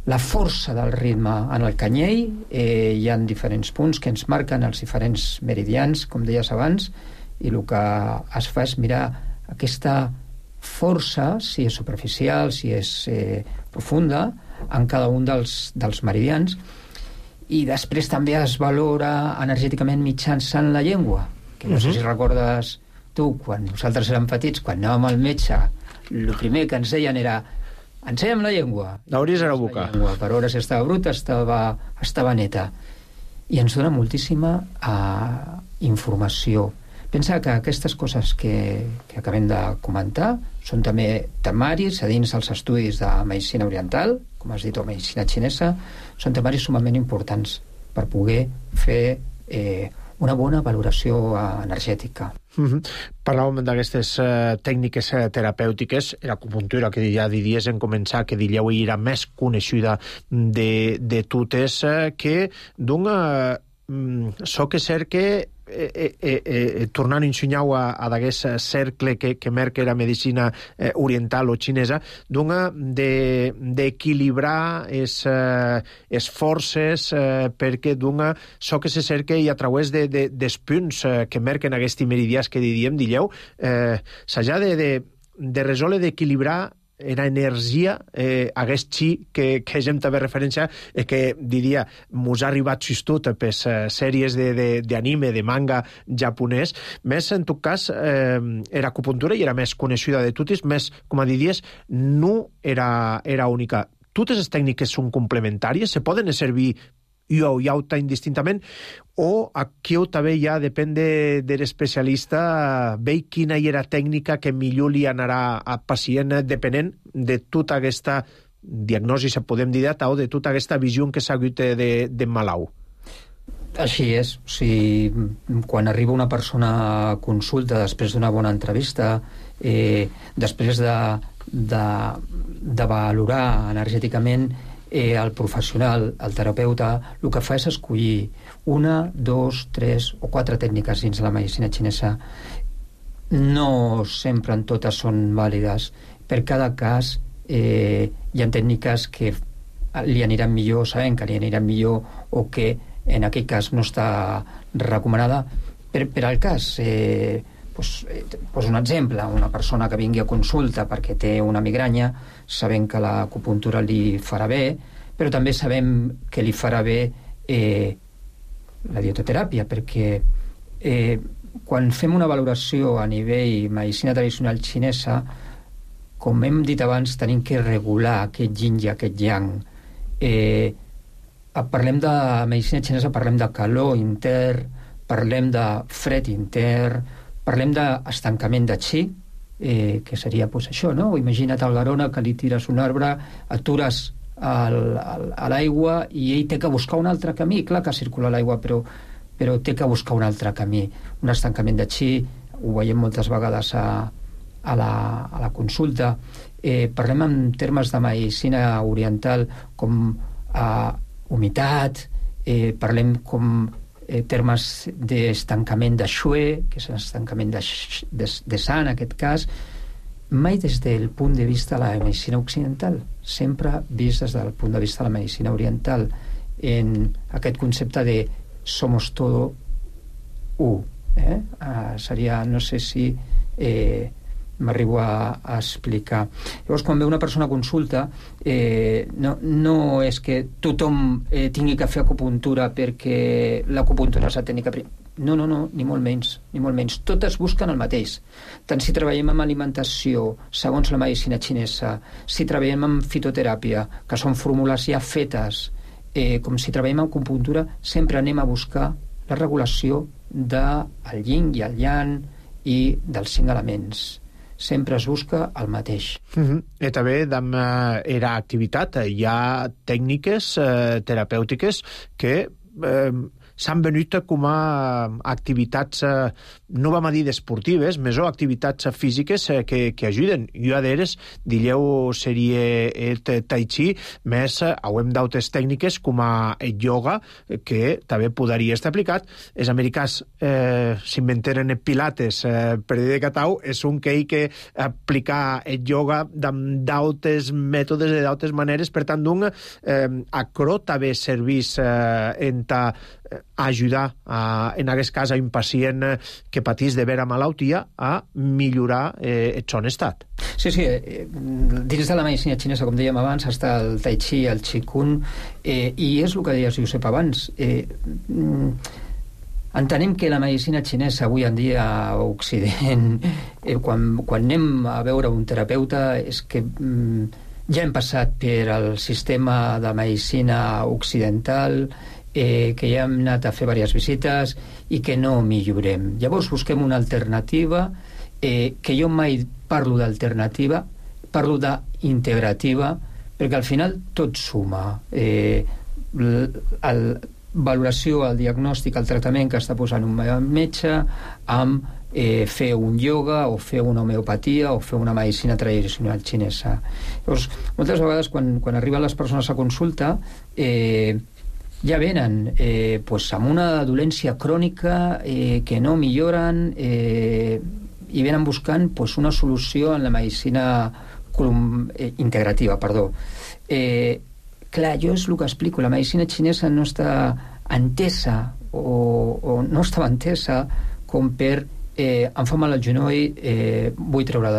la força del ritme en el canyell. Hi ha diferents punts que ens marquen els diferents meridians, com deies abans, i el que es fa és mirar aquesta força, si és superficial, si és profunda, en cada un dels meridians. I després també es valora energèticament mitjançant la llengua, que no sé si recordes tu, quan nosaltres érem petits, quan anàvem al metge, el primer que ens deien era: ensenya'm la llengua. N'hauries a la boca. Per veure si estava bruta, estava neta. I ens dona moltíssima informació. Pensa que aquestes coses que acabem de comentar són també temaris a dins dels estudis de medicina oriental, com has dit, o medicina xinesa, són temaris sumament importants per poder fer una bona valoració energètica. Parlàvem d'aquestes tècniques terapèutiques, l'acupuntura, que ja diries en començar, que diríeu era més coneixida de totes, que d'un so que cert que tornant a ensenyar a d'aquest cercle que merca la medicina oriental o xinesa, d'equilibrar les forces, perquè so que se cerca i a través dels punts que merquen aquests meridians que diríeu, s'ha de resoldre d'equilibrar era energia, hagués xi que hem també referència, que diria, mos ha arribat xistut per sèries d'anime, de manga japonès, més en tot cas l'acupuntura i era més coneixida de totes, més, com a diries, no era única. Totes les tècniques són complementàries, se poden servir o auta indistintament, o aquí també ja depèn de l'especialista veure quina hi era tècnica que millor li anarà al pacient depenent de tota aquesta diagnosi, se podem dir, o de tota aquesta visió que s'ha hagut de malalt. Així és. O sigui, quan arriba una persona a consulta després d'una bona entrevista, després de valorar energèticament el professional, el terapeuta, el que fa és escollir 1, 2, 3 o 4 tècniques dins la medicina xinesa. No sempre en totes són vàlides. Per cada cas hi ha tècniques que li aniran millor, sabem que li aniran millor, o que en aquell cas no està recomanada. Per al cas, poso un exemple, una persona que vingui a consulta perquè té una migranya, sabem que l'acupuntura li farà bé, però també sabem que li farà bé la dietoteràpia, perquè quan fem una valoració a nivell medicina tradicional xinesa, com hem dit abans, tenim que regular aquest yin i aquest yang. Parlem de medicina xinesa, parlem de calor intern, parlem de fred intern, parlem d'estancament de qi, que seria això, no? Imagina't el Garona, que li tires un arbre, atures a l'aigua i ell té que buscar un altre camí. Clar que circula l'aigua, però té que buscar un altre camí. Un estancament de qi, ho veiem moltes vegades a la consulta. Parlem en termes de medicina oriental com humitat, parlem com termes d'estancament de xue, que és l'estancament de sa, en aquest cas, mai des del punt de vista de la medicina occidental, sempre vist des del punt de vista de la medicina oriental, en aquest concepte de somos todo u. Seria, no sé si m'arribo a explicar. Llavors, quan ve una persona a consulta, no és que tothom tingui que fer acupuntura perquè l'acupuntura és la tècnica. No, ni molt menys. Totes busquen el mateix. Tant si treballem amb alimentació, segons la medicina xinesa, si treballem amb fitoteràpia, que són fórmules ja fetes, com si treballem amb acupuntura, sempre anem a buscar la regulació del yin i el yang i dels 5 elements. Sempre es busca el mateix. I també era activitat. Hi ha tècniques terapèutiques que s'han venut com a activitats, no vam a dir esportives, més o activitats físiques que ajuden. Jo d'eres, diríeu, seria el tai chi, més hem d'altres tècniques com a el yoga, que també podria estar aplicat. Els americans s'inventaren el pilates per dir de catau, és un que aplicar el yoga d'altres mètodes i d'altres maneres, per tant, acro també servís en ajudar, en aquest cas, a un pacient que patís de vera malaltia a millorar el son estat. Sí, dins de la medicina xinesa, com dèiem abans, està el tai chi, el qigong, i és el que deies, Josep, abans. Entenem que la medicina xinesa avui en dia a Occident, quan anem a veure un terapeuta, és que ja hem passat per el sistema de medicina occidental, que ja hem anat a fer diverses visites i que no millorem. Llavors busquem una alternativa, que jo mai parlo d'alternativa, parlo d'integrativa, perquè al final tot suma. Valoració, el diagnòstic, el tractament que està posant un metge amb fer un ioga o fer una homeopatia o fer una medicina tradicional xinesa. Llavors, moltes vegades quan arriben les persones a consulta ja venen amb una dolència crònica que no milloren i venen buscant una solució en la medicina integrativa, clar, jo és el que explico, la medicina xinesa no està entesa o no estava entesa com per em fa mal el genoll, vull treure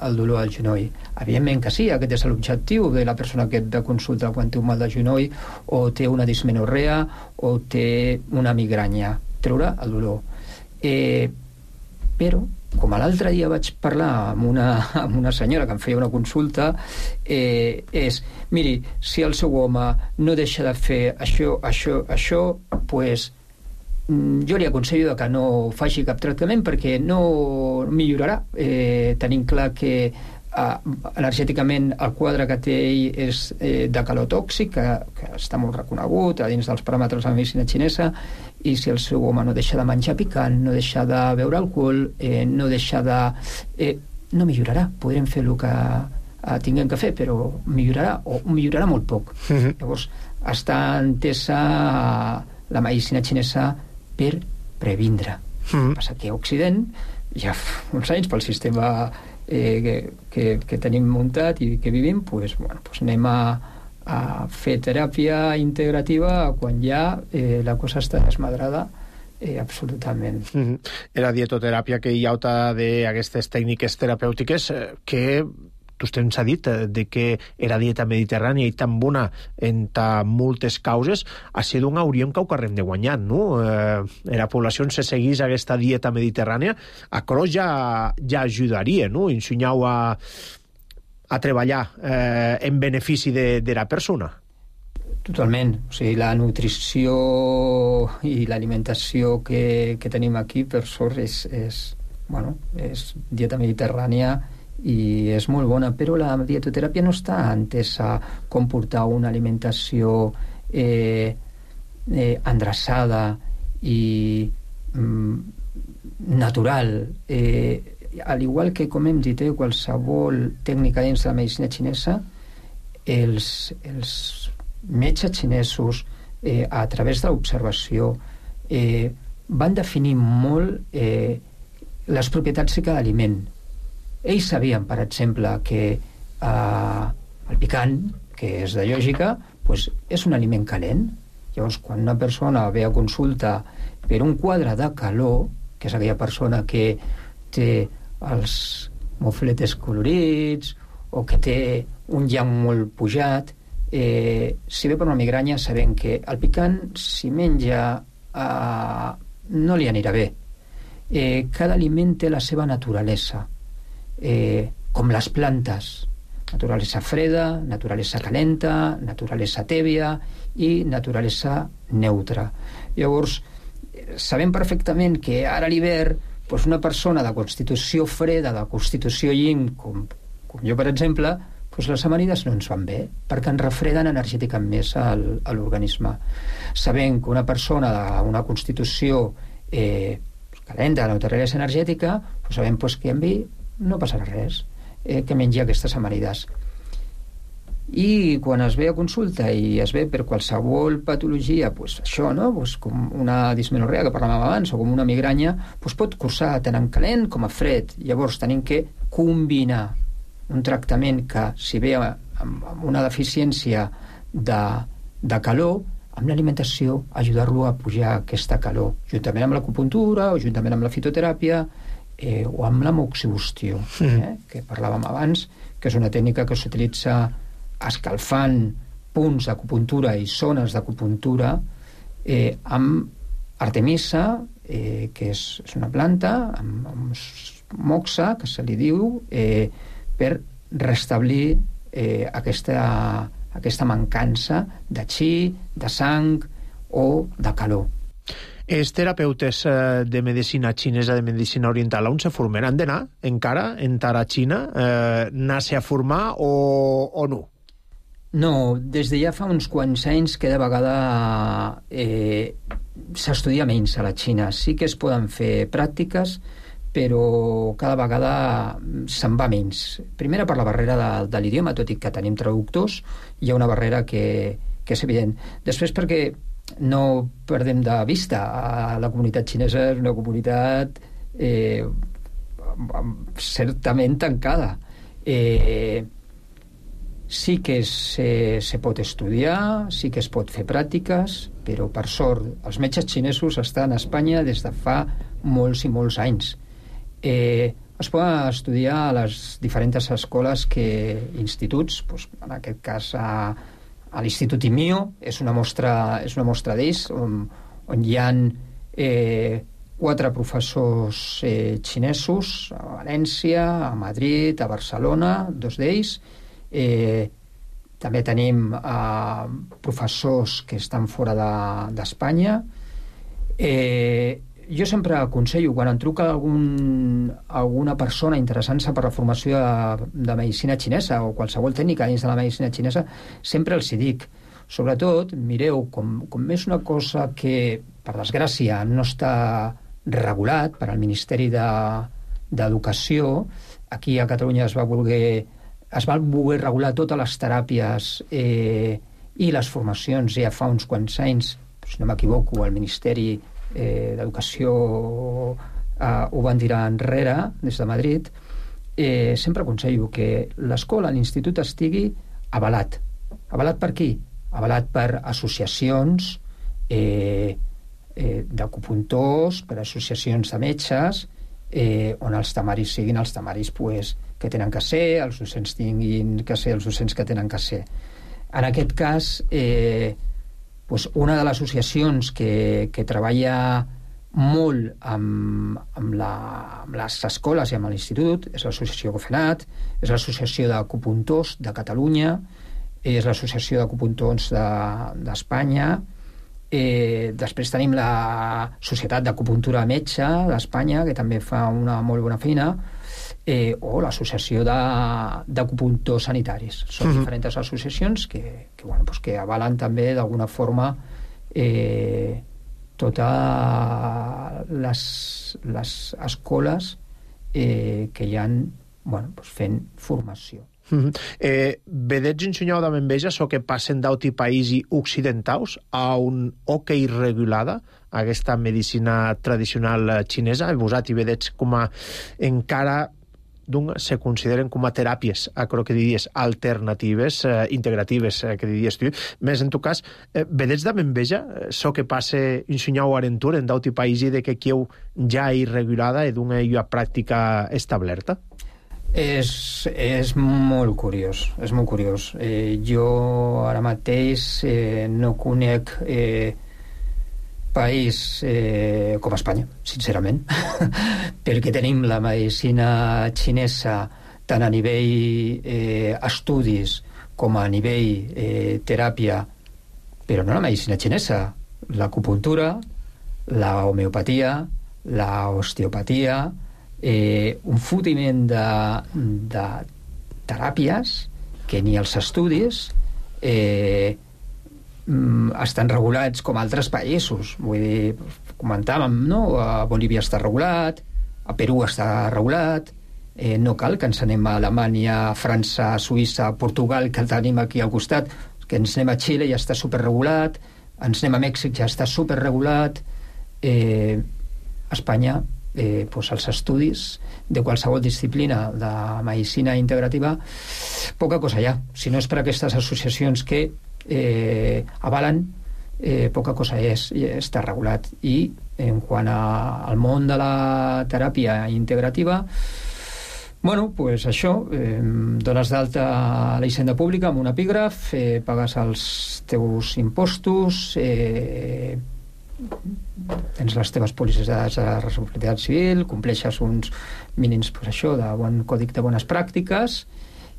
el dolor al genoll. Evidentment que sí, aquest és l'objectiu de la persona que et consulta quan té un mal de genoll o té una dismenorrea o té una migranya, treure el dolor. Però, com l'altre dia vaig parlar amb una senyora que em feia una consulta, miri, si el seu home no deixa de fer això, pues jo li aconsello que no faci cap tractament perquè no millorarà. Tenim clar que energèticament el quadre que té ell és de calor tòxic, que està molt reconegut a dins dels paràmetres de la medicina xinesa, i si el seu home no deixa de menjar picant, no deixa de beure alcohol, no deixa de... no millorarà. Podrem fer el que tinguem que fer, però millorarà, o millorarà molt poc. Llavors, està entesa la medicina xinesa per previndre. Passa que a Occident, ja fa uns anys, pel sistema que tenim muntat i que vivim, anem a fer teràpia integrativa quan ja la cosa està desmadrada absolutament. Era dietoteràpia que hi ha d'aquestes tècniques terapèutiques que vostè ens ha dit que era dieta mediterrània i tan bona en moltes causes, a ser d'un hauríem que ho carrem de guanyar, no? La població se seguís aquesta dieta mediterrània, a cros ja ajudaria, no? Ensenyau a treballar en benefici de la persona. Totalment. O sigui, la nutrició i l'alimentació que tenim aquí, per sort, és dieta mediterrània i és molt bona, però la dietoteràpia no està entesa com portar una alimentació endreçada i natural. Al igual que, com hem dit, qualsevol tècnica dins de la medicina xinesa, els metges xinesos, a través de l'observació, van definir molt les propietats de cada aliment. Ells sabien, per exemple, que el picant, que és de lògica, és un aliment calent. Llavors, quan una persona ve a consulta per un quadre de calor, que és aquella persona que té els mofletes colorits o que té un llamp molt pujat, si ve per una migranya, sabem que el picant, si menja, no li anirà bé. Cada aliment té la seva naturalesa. Com les plantes, naturalesa freda, naturalesa calenta, naturalesa tèbia i naturalesa neutra. Llavors, sabem perfectament que ara a l'hivern una persona de constitució freda, de constitució yin, com jo, per exemple, les amanides no ens van bé, perquè ens refreden energèticament més a l'organisme. Sabem que una persona d'una constitució calenta, de naturalesa energètica, sabem que amb ell no passarà res, que mengi aquestes amanides. I quan es ve a consulta i es ve per qualsevol patologia, això, no? Com una dismenorrea que parlàvem abans, o com una migranya, pot cursar tant en calent com a fred. Llavors tenim que combinar un tractament que, si ve amb una deficiència de calor, amb l'alimentació, ajudar-lo a pujar aquesta calor, juntament amb l'acupuntura o juntament amb la fitoteràpia, o amb la moxibustió, que parlàvem abans, que és una tècnica que s'utilitza escalfant punts d'acupuntura i zones d'acupuntura amb artemisa, que és una planta, amb moxa, que se li diu, per restablir aquesta mancança de chi, de sang o de calor. Els terapeutes de medicina xinesa, de medicina oriental, on se formen? Han d'anar encara, entrar a Xina, anar-se a formar o no? No, des de ja fa uns quants anys cada vegada s'estudia menys a la Xina. Sí que es poden fer pràctiques, però cada vegada se'n va menys. Primera per la barrera de l'idioma, tot i que tenim traductors, hi ha una barrera que és evident. Després perquè no perdem de vista, la comunitat xinesa és una comunitat certament tancada. Sí que se pot estudiar, sí que es pot fer pràctiques, però per sort els metges xinesos estan a Espanya des de fa molts i molts anys. Es poden estudiar a les diferents escoles instituts, en aquest cas a l'Institut IMIO, és una mostra d'ells, on hi ha 4 professors xinesos a València, a Madrid, a Barcelona, 2 d'ells. També tenim professors que estan fora d'Espanya. Jo sempre aconsello, quan em truca alguna persona interessant-se per la formació de medicina xinesa o qualsevol tècnica dins de la medicina xinesa, sempre els hi dic, sobretot, mireu, com és una cosa que, per desgràcia, no està regulat per al Ministeri d'Educació, aquí a Catalunya es va voler regular totes les teràpies i les formacions ja fa uns quants anys, si no m'equivoco, el Ministeri d'Educació ho van tirar enrere des de Madrid. Sempre aconsello que l'escola, l'institut estigui avalat. Avalat per qui? Avalat per associacions d'acupuntors, per associacions de metges, on els temaris siguin els temaris que tenen que ser, els docents tinguin que ser els docents que tenen que ser. En aquest cas, una de les associacions que treballa molt amb les escoles i amb l'institut és l'associació Gofenat, és l'associació d'acupuntors de Catalunya, és l'associació d'acupuntors d'Espanya, després tenim la Societat d'Acupuntura Metge d'Espanya, que també fa una molt bona feina, o l'associació d'acupuntors sanitaris. Són diferents associacions que avalen també d'alguna forma totes les escoles que hi ha fent formació. Vedets ensenyau de enveja so que passen d'auti païsi occidentaus a un hoquei regulada aquesta medicina tradicional xinesa. Vosati vedets com a encara se consideren com a teràpies, que diries, alternatives, integratives, que diries tu. Més, en tu cas, vedets de enveja so que passe ensenyau arentur en d'auti païsi de que quieu ja irregulada i d'una pràctica establerta? És molt curiós, és molt curiós. Jo ara mateix no conec país com Espanya, sincerament, perquè tenim la medicina xinesa tant a nivell estudis com a nivell teràpia, però no la medicina xinesa, l'acupuntura, la homeopatia, la osteopatia, un fotiment de teràpies que ni els estudis estan regulats com altres països. Vull dir, comentàvem, no? A Bolívia està regulat, a Perú està regulat, no cal que ens anem a Alemanya, França, Suïssa, Portugal, que el tenim aquí al costat, que ens anem a Xile, ja està superregulat, ens anem a Mèxic, ja està superregulat. Espanya, els estudis de qualsevol disciplina de medicina integrativa, poca cosa hi ha. Si no és per aquestes associacions que avalen, poca cosa està regulat. I en quant al món de la teràpia integrativa, això, dones d'alta a la hisenda pública amb un epígraf, pagues els teus impostos, tens les teves pòlisses de responsabilitat civil, compleixes uns mínims de bon còdic de bones pràctiques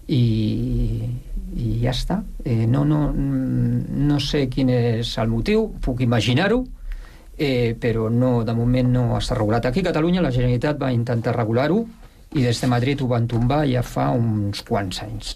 i ja està. No sé quin és el motiu, puc imaginar-ho, però de moment no està regulat. Aquí a Catalunya la Generalitat va intentar regular-ho i des de Madrid ho van tombar ja fa uns quants anys.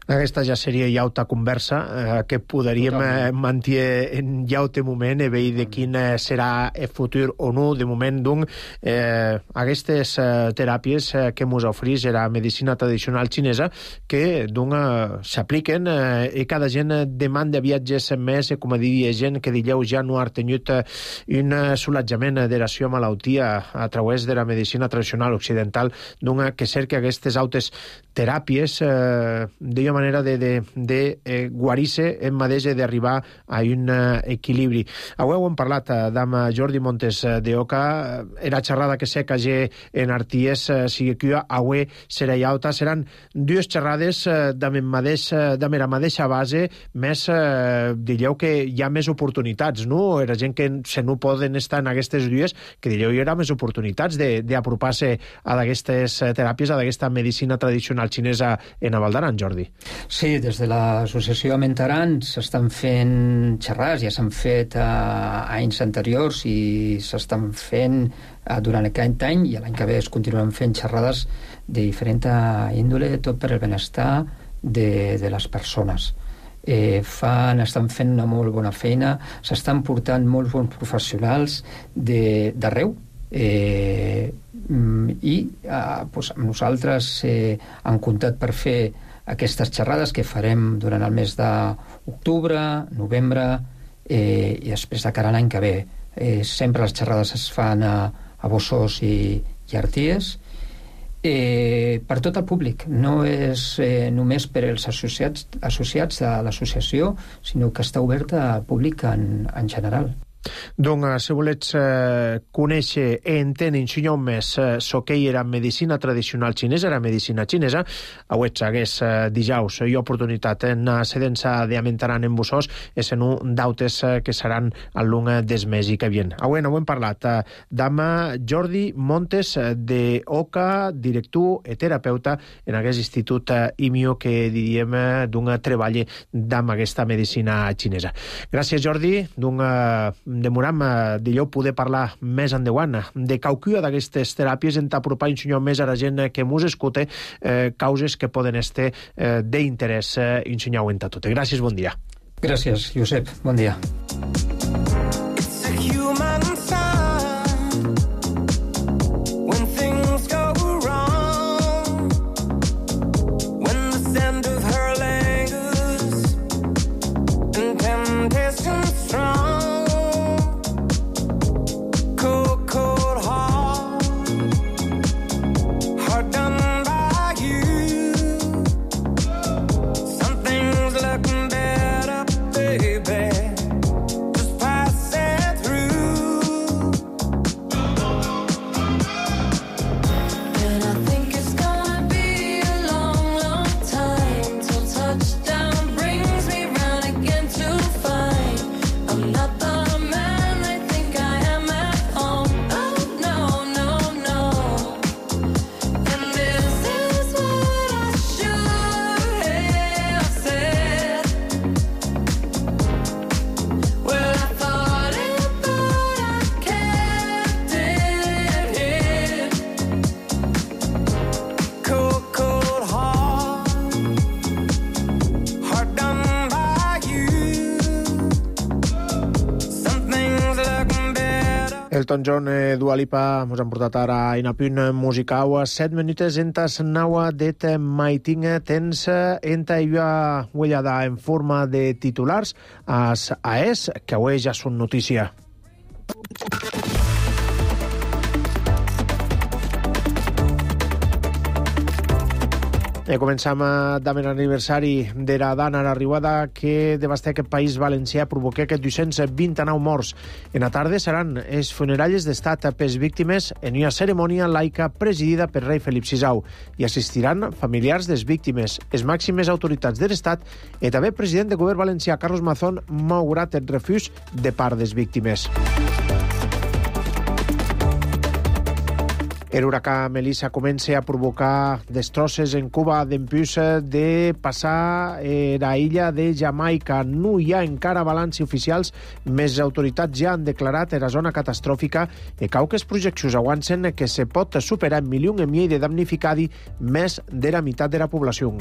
Aquesta ja seria jauta conversa que podríem mantenir en jaute moment e veure de quin serà el futur o no. De moment, doncs, aquestes teràpies que ens ofereix la medicina tradicional xinesa que, doncs, s'apliquen i cada gent demanda viatges més, com a dir, gent que dileu ja no ha tingut un solatjament de la seva malaltia a través de la medicina tradicional occidental, doncs, que cerca aquestes altres teràpies d'una manera de guarir-se en mateix d'arribar a un equilibri. Avui hem parlat amb Jordi Montes d'Oca, la xerrada que sé que en Arties sigui que avui serà alta. Seran dues xerrades de la mateixa base, més direu que hi ha més oportunitats, no? Era gent que se no poden estar en aquestes dues, que direu hi haurà més oportunitats d'apropar-se a aquestes teràpies, a aquesta medicina tradicional xinesa en Val d'Aran, Jordi. Sí, des de l'associació Amentaran s'estan fent xerrades, ja s'han fet anys anteriors i s'estan fent durant aquest any i l'any que ve es continuen fent xerrades de diferent índole, tot per el benestar de les persones. Estan fent una molt bona feina, s'estan portant molts bons professionals d'arreu, i amb nosaltres han comptat per fer aquestes xerrades que farem durant el mes d'octubre, novembre i després de cara a l'any que ve. Sempre les xerrades es fan a Bossós i Arties per tot el públic. No és només per als associats de l'associació, sinó que està oberta al públic en general. Doncs, si volets conèixer i entendre més què era medicina tradicional xinesa, la medicina xinesa, avui hagués dijous i oportunitat en la sedença d'Amentaran en Bossós, és en un d'autes que seran al long des mes i que vien. Avui hem parlat amb Jordi Montes d'Oca, director i terapeuta en aquest institut IMIO que diríem treballa amb aquesta medicina xinesa. Gràcies, Jordi. Demoram d'allò poder parlar més endavant de qualcuna d'aquestes teràpies en t'apropar un senyor més a la gent que mos escolta causes que poden estar d'interès un senyor en tot. Gràcies, bon dia. Gràcies, Josep. Bon dia. Elton John i Dua Lipa mos han portat ara in a punt musical 7 minuts entas naua det maitinga tens enta iua huellada en forma de titulars as AES que avui ja són notícia. Començam amb l'aniversari de la dana a l'arribada que devasta aquest país valencià, provoca aquests 229 morts. En la tarda seran els funeralles d'estat pels víctimes en una cerimònia laica presidida per rei Felip VI i assistiran familiars des víctimes, les màximes autoritats de l'Estat i també el president de govern valencià, Carlos Mazón, malgrat el refús de part des víctimes. L'huracà Melissa comença a provocar destrosses en Cuba dempús de passar la illa de Jamaica. No hi ha encara balanci oficials, més autoritats ja han declarat la zona catastròfica i cauques projeccions avançen que se pot superar 1,5 milions de damnificats, més de la meitat de la població.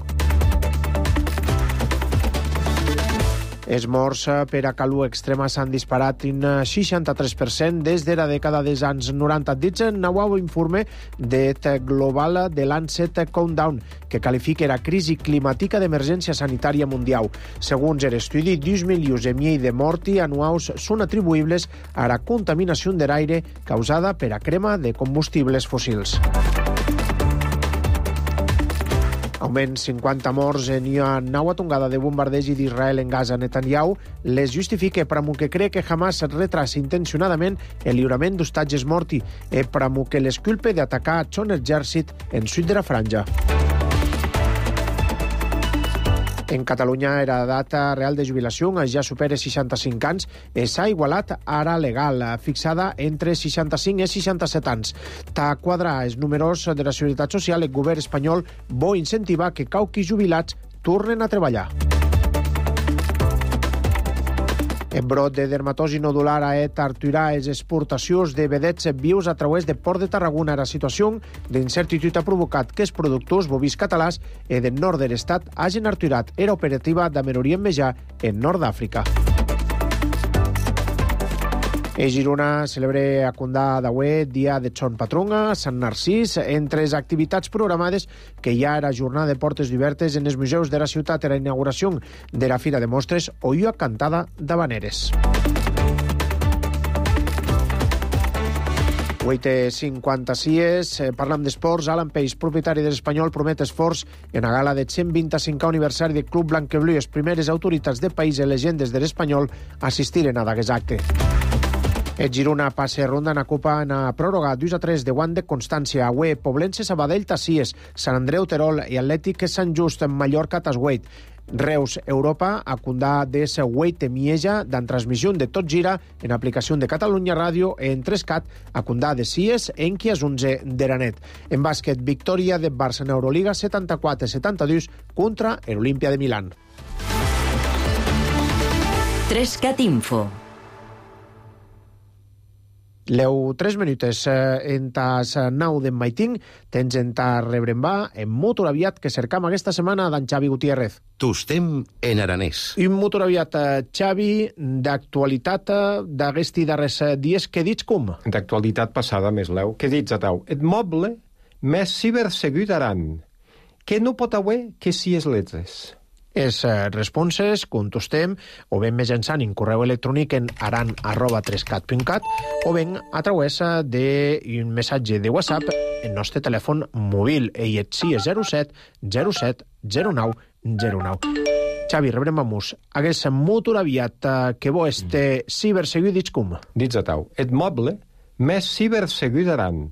Els morts per a calor extrema s'han disparat un 63% des de la dècada dels anys 90. Dits en nou informe de global de Lancet Countdown, que qualifica la crisi climàtica d'emergència sanitària mundial. Segons l'estudi, 2 milions i mig de morts anuals són atribuïbles a la contaminació de l'aire causada per a crema de combustibles fòssils. Augment 50 morts en una nova tongada de bombardegi d'Israel en Gaza. Netanyahu les justifica per que cree que Hamas retrasa intencionadament el lliurament d'hostatges morti i per que les culpe d'atacar son exèrcit en sud de la franja. En Catalunya, la data real de jubilació ja supera 65 anys i s'ha igualat ara legal, fixada entre 65 i 67 anys. Ta quadrar els números de la Seguretat Social, el govern espanyol vol incentivar que cauquis jubilats tornen a treballar. En brot de dermatosi nodular a aturar les exportacions de vedets vius a través de Port de Tarragona. La situació d'incertitude ha provocat que els productors bovins catalans i del nord de l'estat hagin aturat era operativa d'Amerorient Mejà en nord d'Àfrica. A Girona celebra a Condà d'Aué dia de Son Patrón a Sant Narcís. Entre les activitats programades que hi ha la jornada de portes obertes en els museus de la ciutat, la inauguració de la Fira de Mostres o una cantada d'habaneres. 8:56, parlam d'esports. Alan Peix, propietari de l'Espanyol, promet esforç en la gala de 125 aniversari del Club Blanqueblú. Les primeres autoritats del país i legendes de l'Espanyol assistiren a d'aquest acte. El Girona passa ronda en la Copa en la pròrroga 2-3 de guant de Constància. Aué, Poblense, Sabadell, Tassies, Sant Andreu, Terol i Atlètic Sant Just en Mallorca, Tasgueit. Reus, Europa, a Condà de Segueit, Mieja, d'en transmissió de Tot Gira, en aplicació de Catalunya Ràdio, en Trescat, a Condà de Cies, en Quias 11 d'Eranet. En bàsquet, victòria de Barça en Euroliga 74-72 contra l'Olimpia de Milán. Trescat Info. Leu 3 minutes en tas 9 d'en Maitín, tens en ta rebrembà en motor aviat que cercam aquesta setmana d'en Xavi Gutiérrez. Tostem en aranès. Un motor aviat, Xavi, d'actualitat d'aguesti darrers dies, què dits com? D'actualitat passada, més leu. Què dits a tau? Et moble més cibersegut aran, que no pot haver que si es letres. Els responses contestem o ben mitjançant un correu electrònic en aran@trescat.cat o ben a través d'un missatge de WhatsApp en nostre telèfon mòbil i et si és 07 07 09 09. Xavi, rebrem a mus. Hagués motor aviat que bo este cibersegut dits com? Dits a tau. Et moble més cibersegut aran,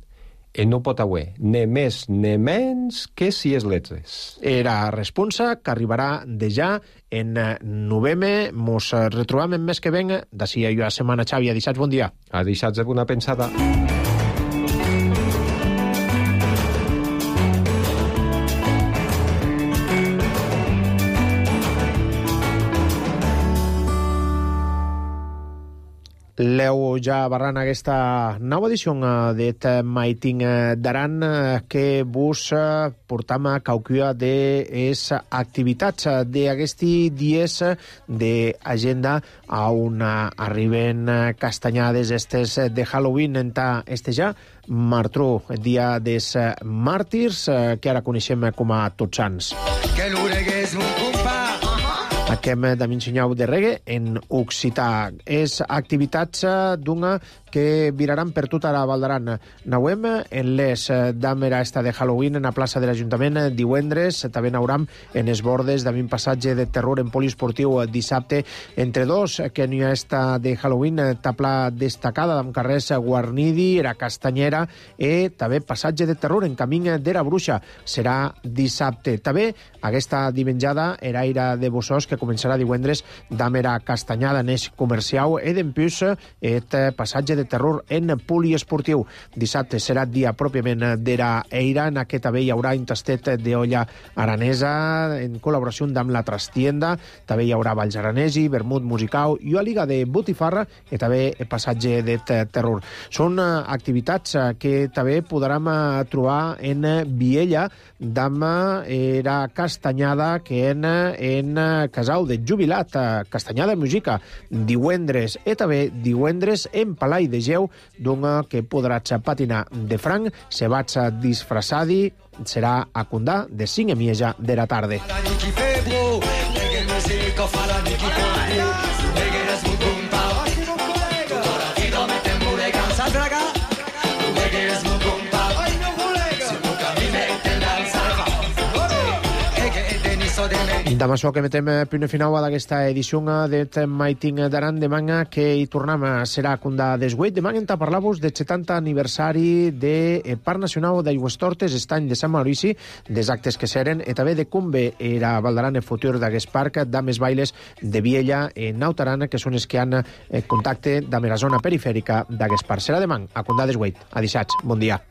i no pot haver ne més ne menys que si es letres. Era responsa que arribarà de ja en novembre. Mos retrobam en mes que venga. D'ací a la setmana, Xavi. A dissats, bon dia. A dissats de bona pensada. Leu ja barrant aquesta nova edició d'et Maiting d'Aran que vos portam a caucua de les activitats d'aquesti dies d'agenda on arriben castanyades estes de Halloween en este ja Martró, el dia dels màrtirs, que ara coneixem com a Tots Sants. Que l'oregués mon compa! Aquem de m'ensenyau de reggae en occità. És activitats d'una que viraran per tota la Val d'Aran. Nauem en les d'Amera esta de Halloween en la plaça de l'Ajuntament divendres. També nauram en els bordes d'un passatge de terror en poliesportiu dissabte. Entre dos, que n'hi ha esta de Halloween, tapla destacada amb carrers Guarnidi, era Castanyera i també passatge de terror en camí de la Bruixa. Serà dissabte. També aquesta dimenjada era Aire de Bossós que començarà divendres d'Amera Castanyada en eix comercial i d'empús et passatge de de terror en poliesportiu. Dissabte serà dia pròpiament d'era Eira. En aquest també hi haurà un tastet d'olla aranesa en col·laboració amb la Trastienda. També hi haurà balls aranesi, vermut musicau i una liga de botifarra i també passatge de terror. Són activitats que també podrem trobar en Viella d'am era castanyada que en casau de jubilat, castanyada musica, divendres i també divendres en Palai de Geu, d'un que podràs patinar de franc, se vaig disfrassadi, serà a Condà de 5:30 de la tarda. Amb això que metem punt final a d'aquesta edició d'Et Maiting d'Aran. Demà que hi tornem serà a Condà d'Esgueit. Demà hem de parlar-vos del 70 aniversari del Parc Nacional d'Aigüestortes, estany de Sant Maurici, dels actes que seren, i també de com bé era Valdaran el futur d'aquest parc, d'ames bailes de Viella en Nautaran, que són els que han contacte amb la zona perifèrica d'aquest parc. Serà demà a Condà d'Esgueit. A dissabte. Bon dia.